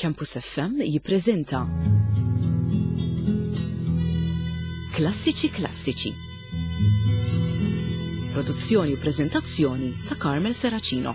Campus FM jippreżenta Klassiċi Klassiċi. Produzzjoni u preżentazzjoni ta' Carmel Seracino.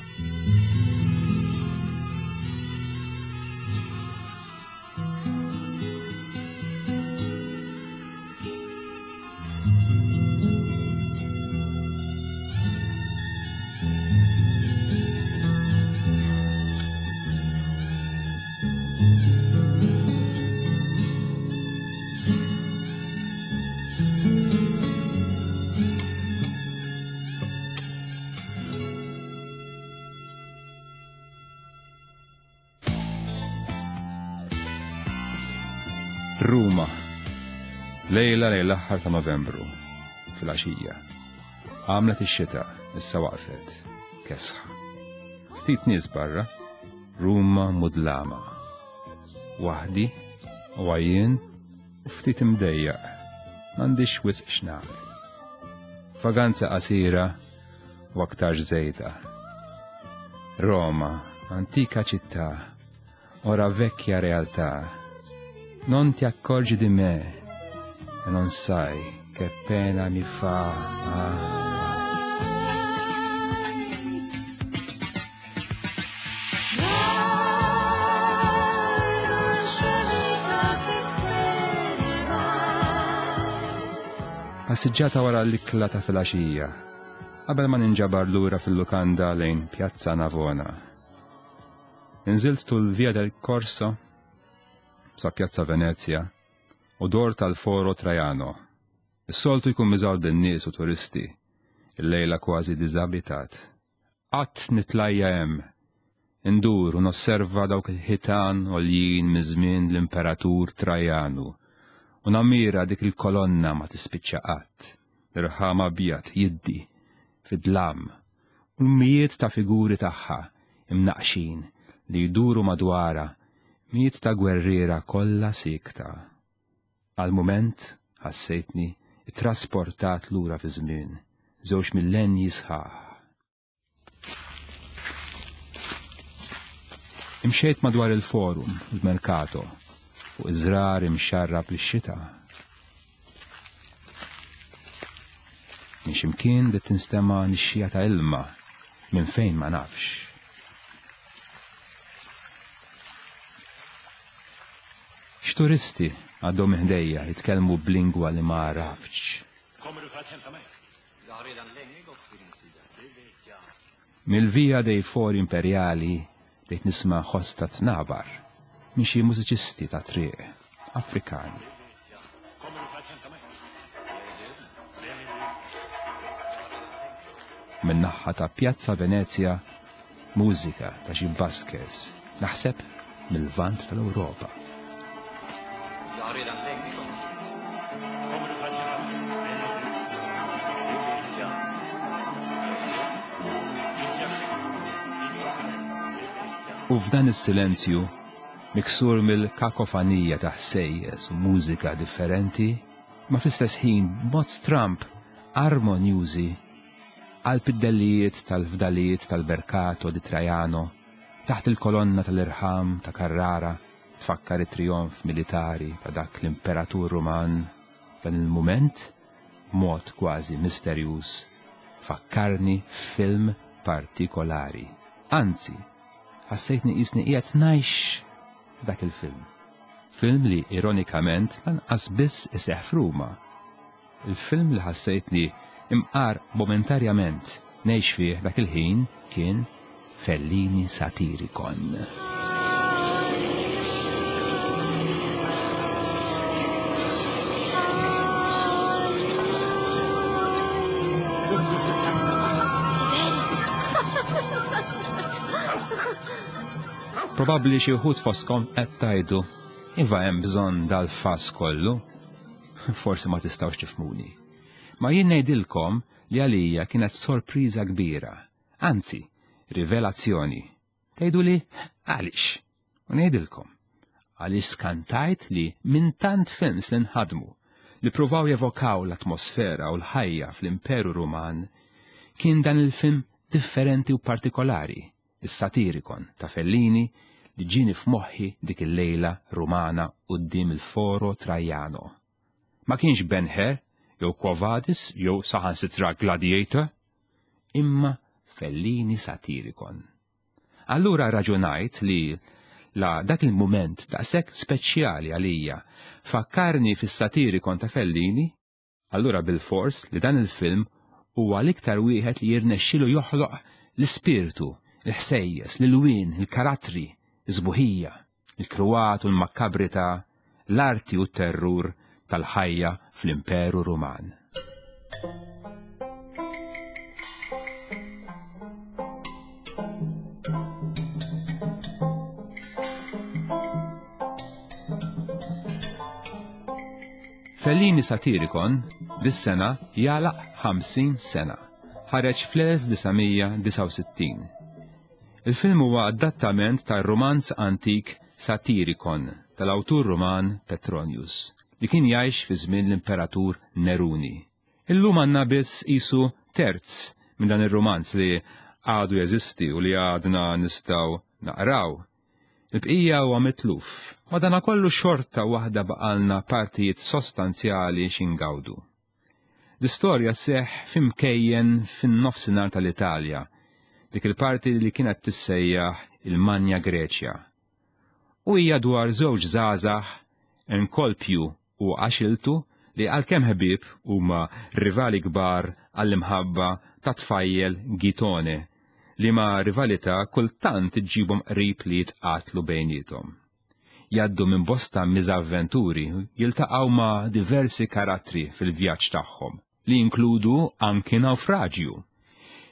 Ruma. Lejla lejn l-aħħar ta' Novembru, fil-għaxija. Għamlet ix-xita, issa waqfet. Kesħa. Ftit nies barra, Ruma mudlama. Waħdi, u għajjien, u ftit imdejjaq. M'għandix wisq x'nagħmel. Vaganza qasira u aktarx żejda. Roma, antika città, ora vecchia realtà. Non ti accorgi di me e non sai che pena mi fa. Ah. Passiġġata wara l-ikla ta' filgħaxija, qabel ma ninġabar lura fil-lukanda lejn Pjazza Navona. Inżilt tul Via del Corso sa Pjazza Venezia u dor tal-Foro Trajano. Is-soltu jkun miżgħud bin-nies u turisti, il-lejla kważi diżabitat. Qatt nitlajja hemm, indur u nosserva dawk il-ħitan għoljin miż-żmien l-Imperatur Trajanu u nammira dik il-kolonna ma tispiċċa qatt, l-irħam abjad jiddi fid-dlam u l-mijiet ta' figuri tagħha imnaqqxin li jduru madwarha, mijiet ta' gwerriera kollha siekta. Għal mument ħassejtni ttrasportat lura fiż-żmien, żewġ millennji sħaħ. Imxejt madwar il-forum, il-mercato, fuq iż-żrar imxarrab lix-xita. Minn ximkien bdiet tinstema' nixxija ta' ilma minn fejn ma nafx. X'turisti għaddew minn ħdejja jitkellmu b'lingwa li ma għaraftx. Mill-Via dei Fori Imperiali bdejt nisma' ħoss ta' tnabar minn xi mużiċisti ta' triq Afrikani. Min-naħa ta' Pjazza Venezja mużika ta' xi buskers, naħseb mill-Lvant tal-Ewropa. U f'dan is-silenzju, miksur mill-kakofanija ta' ħsejjes u mużika differenti, ma fl-istess ħin b'mod stramb armonjużi, qalb id-dellijiet tal-fdalijiet tal-Mercato di Trajano, taħt il-kolonna tal-irħam ta' Carrara, tfakkar it-trijonf militari ta' dak l-imperatur Ruman, dan il-mument, b'mod kważi misterjuż, fakkarni f'film partikolari. Anzi, ħassejtni qisni qiegħed ngħix f'dak il-film. Film li ironikament lanqas biss iseħħ f'Ruma. Il-film li ħassejtni imqar momentarjament ngħix fih dak il-ħin kien Fellini Satiricon. Probabbli xi wħud fostkom qed tgħidu, iva hemm bżonn dal-fass kollu. Forsi ma tistgħux tifhmuni. Ma jien ngħidilkom li għalija kienet sorpriża kbira Anzi, rivelazzjoni. Tgħiduli għaliex? U ngħidilkom. Għaliex skantajt li minn tant films li nħadmu li pruvaw jevokaw l-atmosfera u l-ħajja fl-Imperu Ruman, kien dan il-film differenti u partikolari, is-Satirikon ta' Fellini, li ġieni f'moħħi dik il-lejla Rumana quddiem il-Foro Trajano. Ma kienx Ben-Hur jew Quo Vadis jew saħansitra Gladiator, imma Fellini Satiricon. Allura raġunajt li la dak il-mument daqshekk speċjali għalija fakkarni fis-Satiricon ta' Fellini, allura bilfors li dan il-film huwa l-iktar wieħed li jirnexxilu joħloq l-ispirtu, il-ħsejjes, l-ilwien, il-karattri, is-sbuħija, il-kruat u l-makkabrità, l-arti u t-terrur tal-ħajja fl-Imperu Ruman. Fellini Satiricon dis-sena jagħlaq 50 sena. Ħareġ fl-1969. Il-film huwa adattament tar-rumanz antik Satiricon tal-awtur Ruman Petronius, li kien jgħix fi żmien l-Imperatur Neruni. Illum għandna biss qisu terz minn dan ir-rumanz li għadu jeżisti u li għadna nistgħu naqraw. Il-bqija huwa mitluf, madanakollu xorta waħda baqalna partijiet sostanzjali xi ngawdu. L-istorja sseħħ f'imkejjen fin-nofsinhar tal-Italja, dik il-parti li kienet tissejjaħ il-Magna Greċja. U hija dwar żewġ żgħażagħ, Enkolpju u Axiltu, li għalkemm ħbieb huma rivali kbar għall-imħabba ta' tfajjel Gitone, liema rivalità kultant iġġibhom qrib li jitqatlu bejniethom. Jgħaddu minn bosta miżavventuri, jiltaqgħu ma' diversi karattri fil-vjaġġ tagħhom, li jinkludu anki nawfraġju.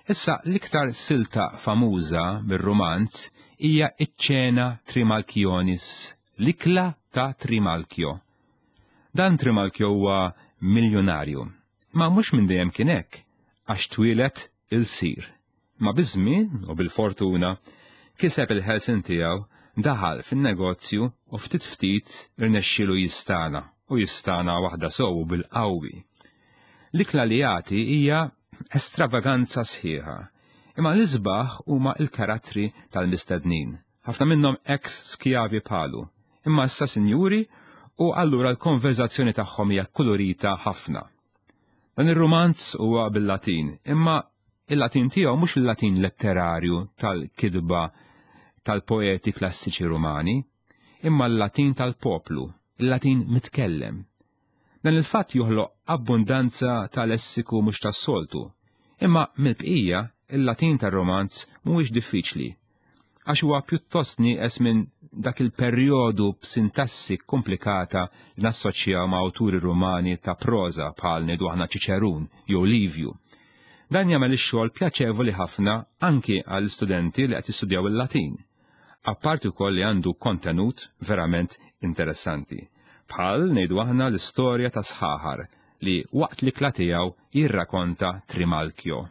Issa l-iktar silta famuża mir-rumanz hija ċ-ċena Trimalchionis, l-ikla ta' Trimalchio. Dan Trimalchio huwa miljunarju. Imma mhux minn dejjem kien hekk, għax twieled ilsir. Imma biż-żmien u bil-fortuna kiseb il-ħelsien tiegħu, daħal fin-negozju u ftit ftit irnexxielu jistagħna, u jistagħna waħda sew u bil-qawwi. L-ikla li jagħti hija estravaganza sħiħa. Imma l-isbaħ huma l-karattri tal-mistednin, ħafna minnhom ex skjavi bħalu, imma issa sinjuri u allura l-konverżazzjoni tagħhom hija kkulurita ħafna. Dan ir-rumanz huwa bil-Latin, imma il-Latin tiegħu mhux il-Latin letterarju tal-kitba tal-poeti klassiċi Rumani, imma l-Latin tal-poplu, il-Latin mitkellem. Dan il-fatt joħloq abbundanza ta' lessiku mhux tas-soltu, imma mill-bqija il-Latin tar-romanz mhuwiex diffiċli, għax huwa pjuttost nieqes minn dak il-perjodu b'sintassi kkumplikata li nassoċjaw ma' awturi Rumani ta' proża bħal ngħidu aħna Ċiċerun jew Livju. Dan jagħmel ix-xogħol pjaċevoli ħafna anki għall-istudenti li qed jistudjaw il-Latin. Apparti wkoll li għandu kontenut verament interessanti. Bħal ngħidu aħna l-istorja ta' sħaħar li waqt l-ikla tiegħu jirrakonta Trimalchio.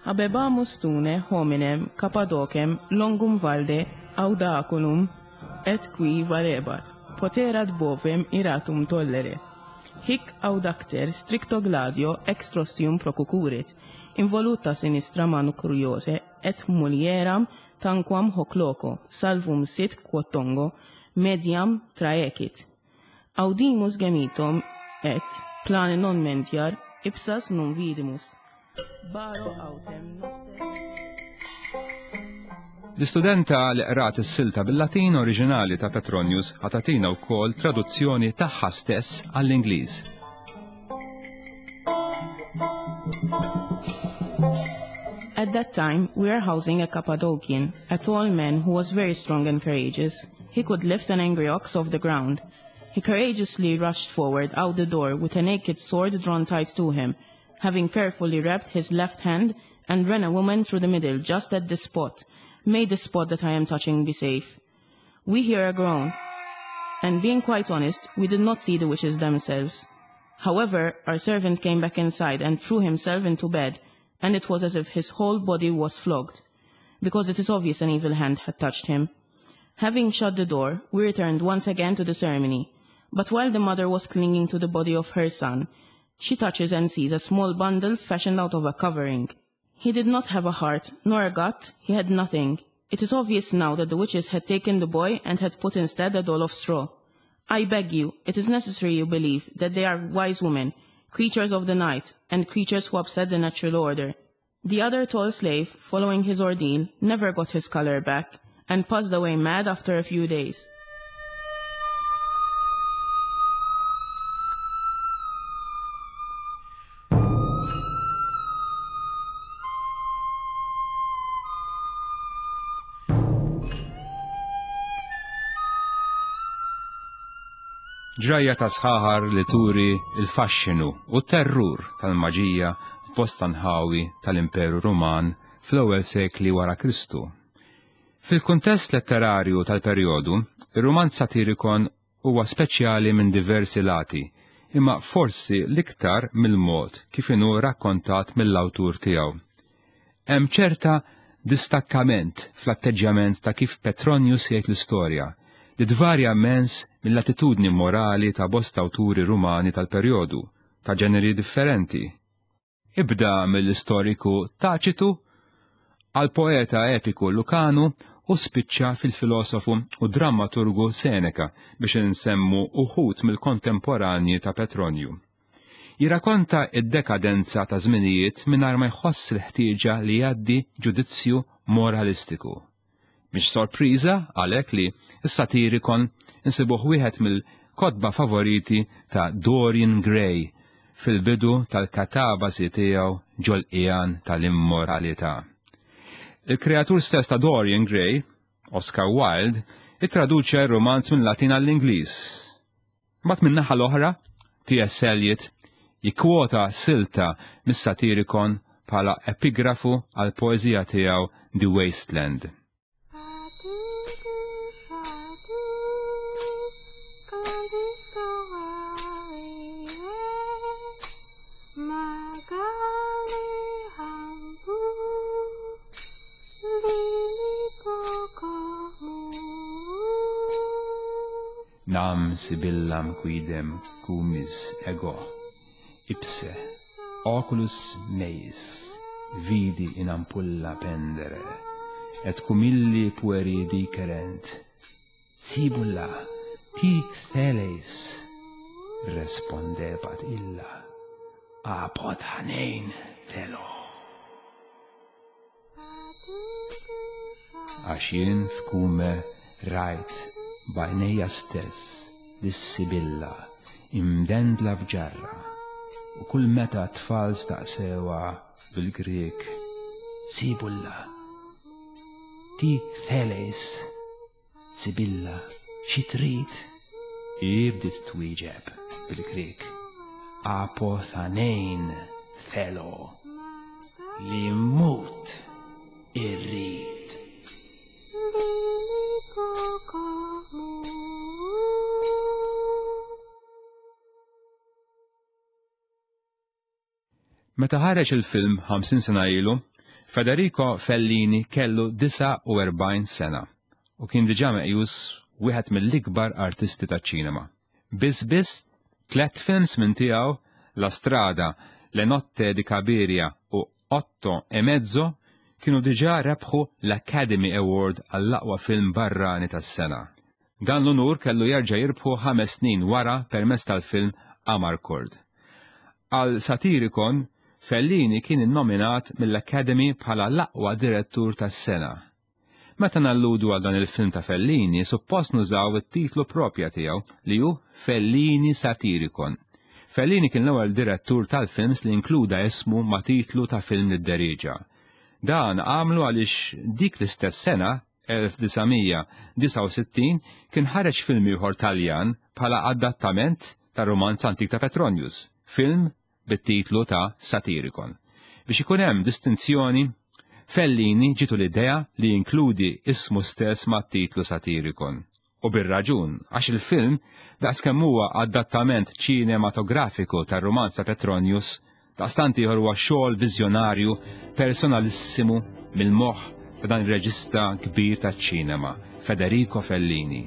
Habebamus tune hominem Cappadocem longum valde audaculum et qui valebat, poterat bovem iratum tollere. Hic audacter stricto gladio ex rostium procucurit, involuta sinistra manu curiose et mulieram tanquam hoc loco, salvum sit quod tongo, mediam traecit. Audimus gemitum et, plane non mentiar, ipsas non vidimus. Baro autem noster. L-istudenta li qrat is-silta bil-Latin oriġinali ta' Petronius ħa tagħtina wkoll traduzzjoni tagħha stess għall-Ingliż. At that time, we were housing a Cappadocian, a tall man who was very strong and courageous. He could lift an angry ox off the ground. He courageously rushed forward out the door with a naked sword drawn tight to him, having carefully wrapped his left hand and ran a woman through the middle just at this spot. May the spot that I am touching be safe. We hear a groan. And being quite honest, we did not see the witches themselves. However, our servant came back inside and threw himself into bed, and it was as if his whole body was flogged, because it is obvious an evil hand had touched him. Having shut the door, we returned once again to the ceremony. But while the mother was clinging to the body of her son, She touches and sees a small bundle fashioned out of a covering. He did not have a heart, nor a gut, he had nothing. It is obvious now that the witches had taken the boy and had put instead a doll of straw. I beg you, it is necessary you believe that they are wise women, creatures of the night, and creatures who upset the natural order. The other tall slave, following his ordeal, never got his color back, and passed away mad after a few days. Ġrajja ta' sħaħar li turi l-faxxinu u t-terrur tal-maġija f'bosta nħawi tal-Imperu Ruman fl-ewwel sekli wara Kristu. Fil-kuntest letterarju tal-perjodu, ir-rumanz satirikon huwa speċjali minn diversi lati, imma forsi l-iktar mill-mod kif inhu rakkontat mill-awtur tiegħu. Hemm ċerta distakkament fl-atteġġjament ta' kif Petronius jgħid l-istorja, li tvarja immens mill-attitudni morali ta' bosta awturi Rumani tal-perjodu, ta' ġeneri differenti. Ibda mill-istoriku Taċitu għall-poeta epiku Lukanu u spiċċa fil-filosofu u drammaturgu Seneca biex insemmu uħud mill-kontemporanji ta' Petronju. Jirrakonta d-dekadenza ta' żminijiet mingħajr ma jħoss il-ħtieġa li jgħaddi ġudizzju moralistiku. Mhix sorpriża għalhekk li s-Satirikon insibuh wieħed mill-kotba favoriti ta' Dorian Gray fil-bidu tal-katabasi tiegħu ġol-qiegħan tal-immoralità. Il-kreatur stess ta' Dorian Gray, Oscar Wilde, ittraduċa r-rumanz minn Latin għall-Ingliż. Mbagħad min-naħa l-oħra, T.S. Eliot jikkwota silta mis-Satirikon bħala epigrafu għall-poeżija tiegħu The Waste Land. Nam Sibyllam quidem cumis ego ipse oculus meis vidi in ampulla pendere, et cum illi pueri dicerent, Sibylla, ti theles, respondebat illa, apothanein thelo. Għax jien f'Kume rajt b'għajnejja stess lis-Sibilla imdendla f'ġarra, u kull meta t-tfal staqsewha bil-Grieg, Sibulla, ti theles? Sibilla, xi trid? Hi bdiet twieġeb bil-Grieg, Apothanein thelo, li mmut irrid. Meta ħareġ il-film 50 sena ilu, Federico Fellini kellu 49 sena u kien diġà meqjus wieħed mill-ikbar artisti taċ-ċinema. Biss biss tlett films minn tiegħu, La Strada, Le Notte di Cabiria u Otto e Mezzo, kienu diġà rebħu l-Academy Award għall-aqwa film barrani tas-sena. Dan l-unur kellu jerġa' jirbħu ħames snin wara permezz tal-film Amarcord. Għal Satyricon, Fellini kien innominat mill-Academy bħala l-aqwa direttur tas-sena. Meta nalludu għal dan il-film ta' Fellini, suppost nużaw it-titlu proprja tiegħu li hu Fellini Satyricon. Fellini kien l-ewwel direttur tal-films li inkluda ismu ma' titlu ta' film li dderieġa. Dan għamlu għaliex dik l-istess sena 1969 kien ħareġ film ieħor Taljan bħala adattament tar-rumanz antik ta' Petronius, film bit-titlu ta' Satyricon. Biex ikun hemm distinzjoni, Fellini ġietu l-idea li jinkludi ismu stess mat-titlu Satyricon. U bir-raġun, għax il-film, daqskemm huwa adattament ċinematografiku tar-rumanz ta' Petronius, daqstant ieħor huwa xogħol viżjonarju personalissimu mill-moħħ ta' dan ir-reġista kbir taċ-ċinema, Federico Fellini.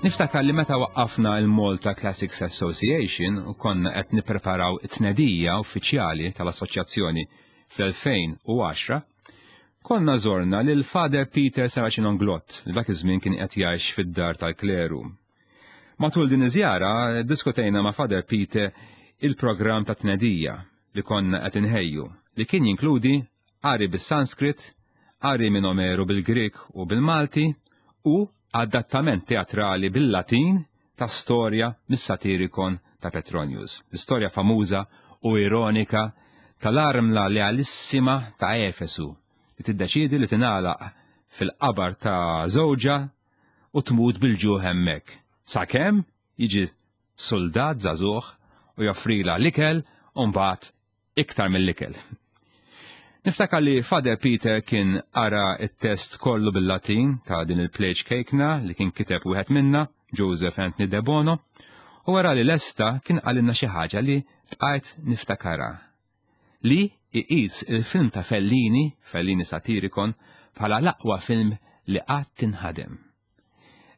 Niftakar li meta waqqafna il-Malta Classics Association u konna qed nippreparaw it-tnedija uffiċjali tal-assoċjazzjoni fl-2010, konna żorna lil Father Peter Saracen Onglott li dak iż-żmien kien qed jgħix fid-dar tal-kleru. Matul din iż-żjara ddiskutejna ma' Father Peter il-programm ta' tnedija li konna qed inħejju li kien jinkludi qari bis-Sanskrit, qari minn Omeru bil-Grieg u bil-Malti u adattament teatrali bil-Latin ta' storja mis-Satirikon ta' Petronius, l-istorja famuża u ironika tal-armla lealissima ta' Efesu li tiddeċiedi li tingħalaq fil-qabar ta' żewġha u tmut bil-ġuħ hemmhekk, sakemm jiġi suldat żagħżugħ u joffrilha l-ikel u mbagħad iktar mill-ikel. Niftakar li Father Peter kien qara t-test kollu bil-Latin ta' din il-play ċkejkna li kien kiteb wieħed minna, Joseph Anthony Debono, u wara li lesta kien qalilna xi ħaġa li bqajt niftakarha. Li iqis il-film ta' Fellini, Fellini Satiricon, bħala l-aqwa film li qatt inħadem.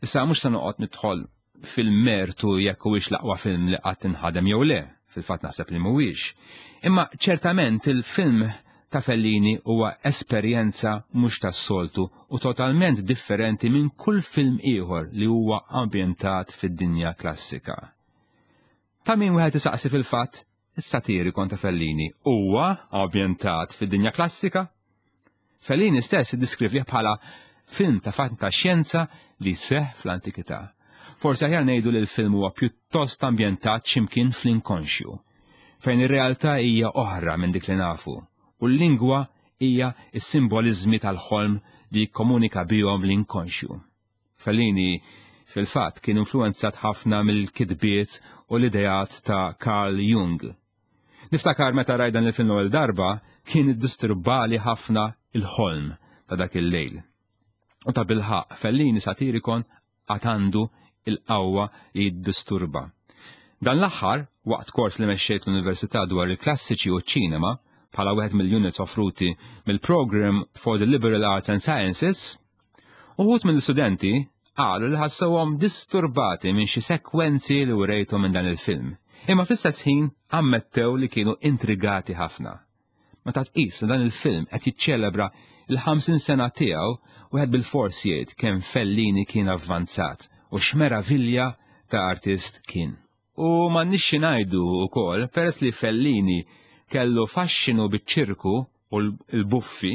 Issa mhux se noqgħod nidħol fil-mertu jekk huwiex l-aqwa film li qatt inħadem jew le, fil-fatt naħseb li mhuwiex. Imma ċertament il-film ta' Fellini huwa esperjenza mhux tas-soltu u totalment differenti minn kull film ieħor li huwa ambjentat fid-dinja klassika. Ta' min wieħed isaqsi fil-fatt, is-Satirikon ta' Fellini huwa ambjentat fid-dinja klassika? Fellini stess iddiskrivih bħala film ta' fantaxjenza li seħħ fl-antikità. Forsi aħjar ngħidu li l-film huwa pjuttost ambjentat x'imkien fl-inkonxju, fejn ir-realtà hija oħra minn dik li nafu, u l-lingwa hija s-simboliżmi tal-ħolm li jikkomunika bihom l-inkonxju. Fellini, fil-fatt, kien influwenzat ħafna mill-kitbiet u l-ideat ta' Carl Jung. Niftakar meta rajt dan il-film l-ewwel darba, kien iddisturbali ħafna il-ħolm ta' dak il-lejl. U ta' bilħaqq, Fellini Satirikon għad għandu il-qawwa li jiddisturba. Dan l-aħħar, waqt kors li mexxejt l-Università dwar il-klassiċi u ċ-ċinema, bħala wieħed mill-units offruti mill-Program for the Liberal Arts and Sciences, Uħud mill-istudenti qalu li ħassewhom disturbati minn xi sekwenzi li wrejthom minn dan il-film, imma fl-istess ħin ammettew li kienu intrigati ħafna. Meta tqis li dan il-film qed jiċċelebra l-50 sena tiegħu, wieħed bilfors jgħid kemm Fellini kien avvanzat u x'meravilja ta' artist kien. U m'għandniex xi ngħidu wkoll, peress li Fellini kellu faxxinu biċ-ċirku u l-buffi,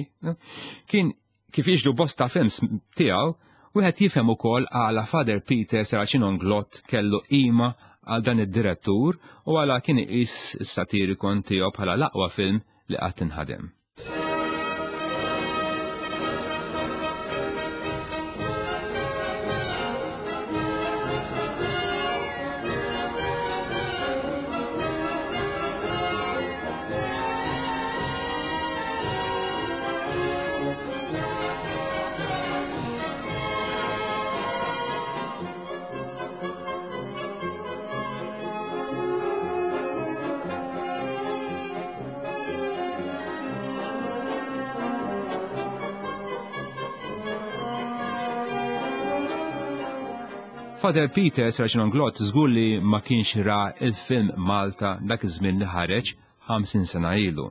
kien kif jiġru bosta films tiegħu, wieħed jifhem ukoll għala Father Peter Serracino Inglott kellu qima għal dan id-direttur u għala kien iqis is-Satirikon tiegħu bħala l-aqwa film li qatt inħadem. Father Peter Sergeant Glott żgur li ma kienx ra il-film Malta dak iż-żmien li ħareġ 50 sena ilu,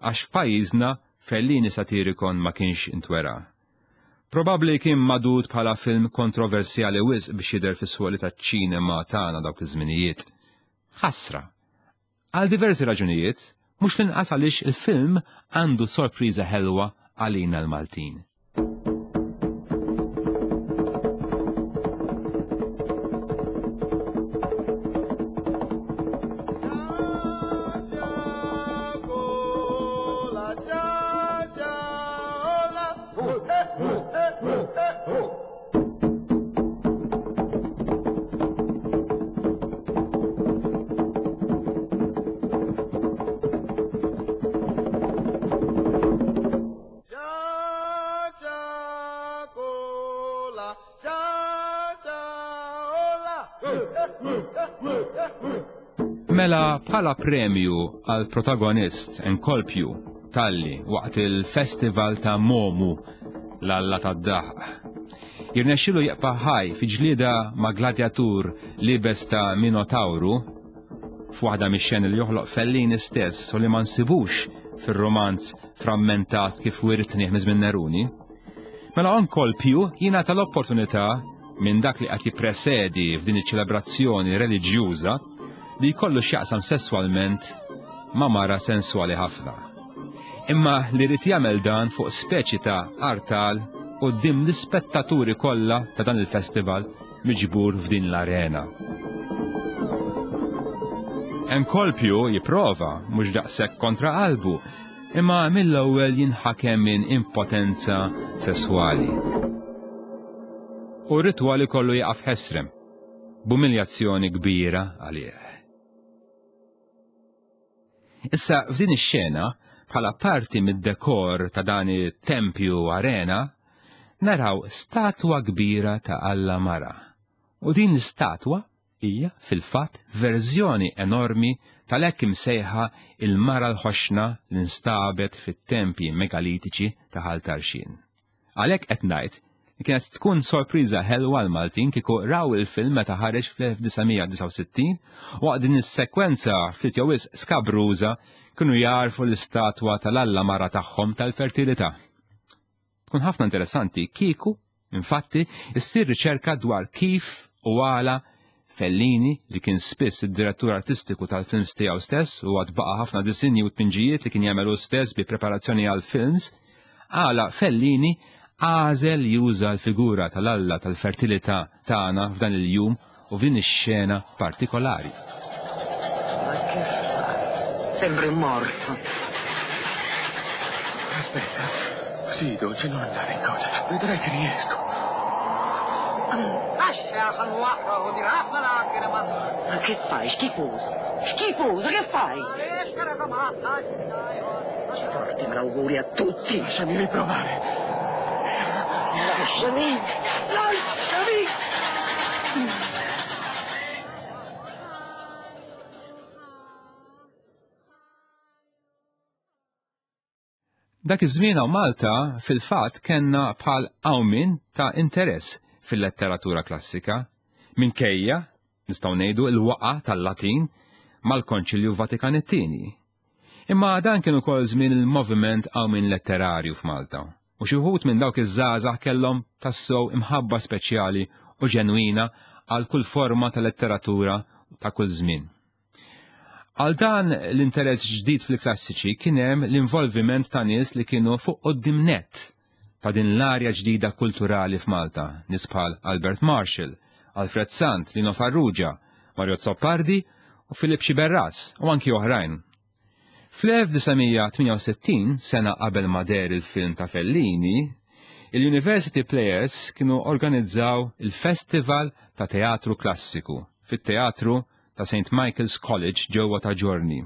għax f'pajjiżna Fellini Satiricon ma kienx intwera. Probabbli kien magħdud bħala film kontroversjali wisq biex jidher fis-swali taċ-ċinema tagħna dawk iż-żminijiet. Ħasra. Għal diversi raġunijiet, mhux l-inqas għaliex il-film għandu sorpriża ħelwa għalina l-Maltin. Mela bħala premju għal protagonist enkolpju talli waqt il-festival ta' Momu l-alla tad-daħq. jirnexxilu jibqa' ħaj fi ġlieda ma' gladjatur liebes ta' Minotawru, f'waħda mix-xeni li joħloq Fellini stess u li ma nsibux fir-rumanz frammentat kif wirtnih minn żmien Neruni, mela Encolpiu jingħata l-opportunità minn dak li qed jippresedi f'din iċ-ċelebrazzjoni reliġjuża li jkollu x'jaqsam sesswalment ma' mara senswali ħafna. Imma li rid jagħmel dan fuq speċi ta' artal quddiem l-ispettaturi kollha ta' dan il-festival miġbur f'din l-arena. Enkolpju jipprova mhux daqshekk kontra qalbu, imma mill-ewwel jinħakem minn impotenza sesswali. U r-ritwal ikollu jaqaf ħesrem, b'umiljazzjoni kbira għalih. Issa f'din ix-xena, bħala parti mid-dekor ta' dan it-tempju arena, naraw statwa kbira ta' Alla Mara. U din l-istatwa hija fil-fatt verżjoni enormi tal-hekk imsejħa il-Mara l-Ħoxna li nstabet fit-tempji megalitiċi ta' Ħal Tarxien. Għalhekk qed ngħid li kienet tkun sorpriża ħelwa għall-Maltin kieku raw il-film meta ħareġ fl-1969 waqt din is-sekwenza ftit jew wisq skabruża kienu jagħrfu l-istatwa tal-alla mara tagħhom tal-fertilità. Tkun ħafna interessanti kieku, infatti, issir riċerka dwar kif u għala Fellini, li kien spiss id-direttur artistiku tal-films tiegħu stess u għad baqa' ħafna disinji u tpinġijiet li kien jagħmel hu stess bi preparazzjoni għall-films, għala Fellini għażel juża l-figura tal-Alla tal-fertilità tagħna f'dan il-jum u f'din ix-xena partikolari. Ma che fai? Sembri morto. Aspetta, sì, dolce, non andare in collera. Vedrai che riesco. Ma che fai? Schifoso! Schifoso, che fai? Porti malauguri a tutti. Lasciami riprovare. Lasciami! Lasciami! Dak iż-żmien hawn Malta fil-fatt kellna bħal qawmien ta' interess fil-letteratura klassika, minkejja, nistgħu ngħidu, il-waqgħa tal-Latin mal-Konċilju Vatikan it-Tieni. Imma dan kien ukoll żmien il-moviment qawmien letterarju f'Malta, u xi wħud minn dawk iż-żgħażagħ kellhom tassew imħabba speċjali u ġenwina għal kull forma ta' letteratura ta' kull żmien. Għal dan l-interess ġdid fil-klassiċi kien hemm l-involviment ta' nies li kienu fuq quddiem nett ta' din l-arja ġdida kulturali f'Malta, nies bħal Albert Marshall, Alfred Sant, Lino Farrugia, Mario Azzopardi u Philip Sciberras u anki oħrajn. Fl-1968, sena qabel ma deher il-film ta' Fellini, il-University Players kienu organizzaw il-Festival ta' Teatru Klassiku fit-Teatru ta' St. Michael's College ġewwa ta' Ġorni.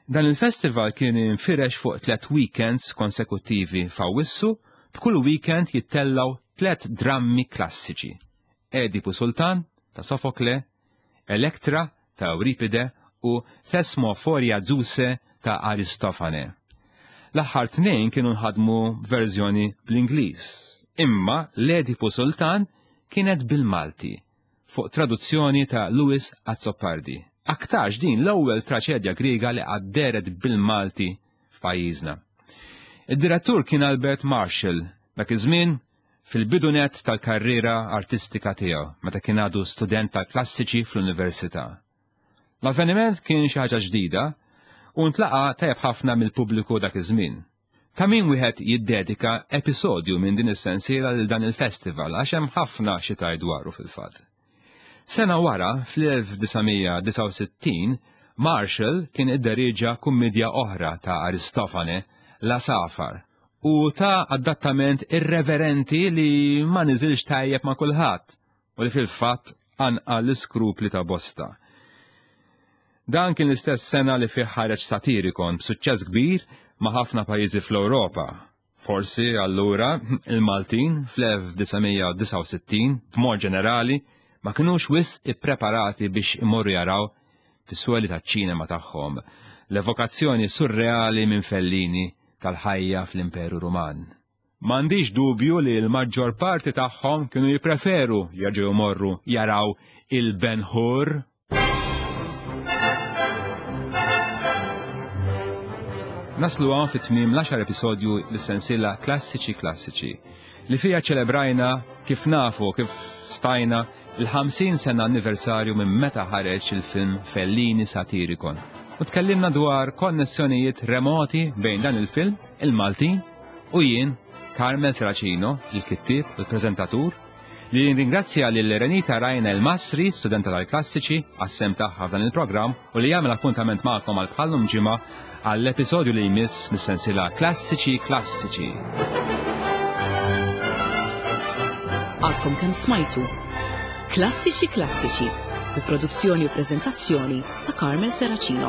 Dan il-festival kien infirex fuq tlet weekends konsekuttivi f'Awwissu, b'kull weekend jittellgħu tlet drammi klassiċi, Edipu Sultan ta' Sofokle, Elektra ta' Euripide u Thesmophoria Zeuse ta' Aristofane. L-aħħar tnejn kienu nħadmu b'verżjoni bl-Ingliż, imma l-Edipu Sultan kienet bil-Malti fuq traduzzjoni ta' Louis Azzopardi. Aktarx din l-ewwel traċedja Griega li qatt dehret bil-Malti f'pajjiżna. Id-direttur kien Albert Marshall, dak iż-żmien fil-bidu nett tal-karriera artistika tiegħu meta kien għadu student tal-klassiċi fl-università. L-avveniment kien xi ħaġa ġdida u ntlaqa' tajjeb ħafna mill-pubbliku dak iż-żmien. Ta' min wieħed jiddedika episodju minn din is-sensiela lil dan il-festival għax hemm ħafna xi tgħid dwaru fil-fatt. Sena wara, fl-1969, Marshall kien idderieġa kummidja oħra ta' Aristofane, La Safar, u ta adattament irreverenti li ma niżilx tajjeb ma' kulħadd u li fil-fatt qanqal l-iskrupli ta' bosta. Dan kien l-istess sena li fih ħareġ Satiricon b'suċċess kbir ma' ħafna pajjiżi fl-Ewropa. Forsi, allura, il-Maltin fl-1969, b'mod ġenerali, ma kinux wisq ippreparati biex imorru jaraw fis-sweli taċ-ċinema tagħhom l-evokazzjoni surreali minn Fellini tal-ħajja fl-Imperu Ruman. M'għandix dubju li l-maġġor parti tagħhom kienu jippreferu jerġgħu jmorru jaraw il-Ben Hur. Naslu hawn fi tmiem l-għaxar episodju lis-sensiela Klassiċi Klassiċi li fiha ċelebrajna kif nafu kif stajna il-50 sena anniversarju minn meta ħareġ il-film Fellini Satiricon. U tkellimna dwar konnessjonijiet remoti bejn dan il-film, il-Maltin, u jien, Carmel Seracino, il-kittieb, il-preżentatur, li nringrazzja lil Renita Rajna El Masri, studenta tal-klassiċi, għas-sehem tagħha f'dan il-programm u li jagħmel appuntament magħkom għal bħallum ġimgħa għall-episodju li jmiss mis-sensiela Klassiċi Klassiċi. Għadkom kemm smajtu Klassiċi Klassiċi bi produzzjoni u preżentazzjoni ta' Carmel Seracino.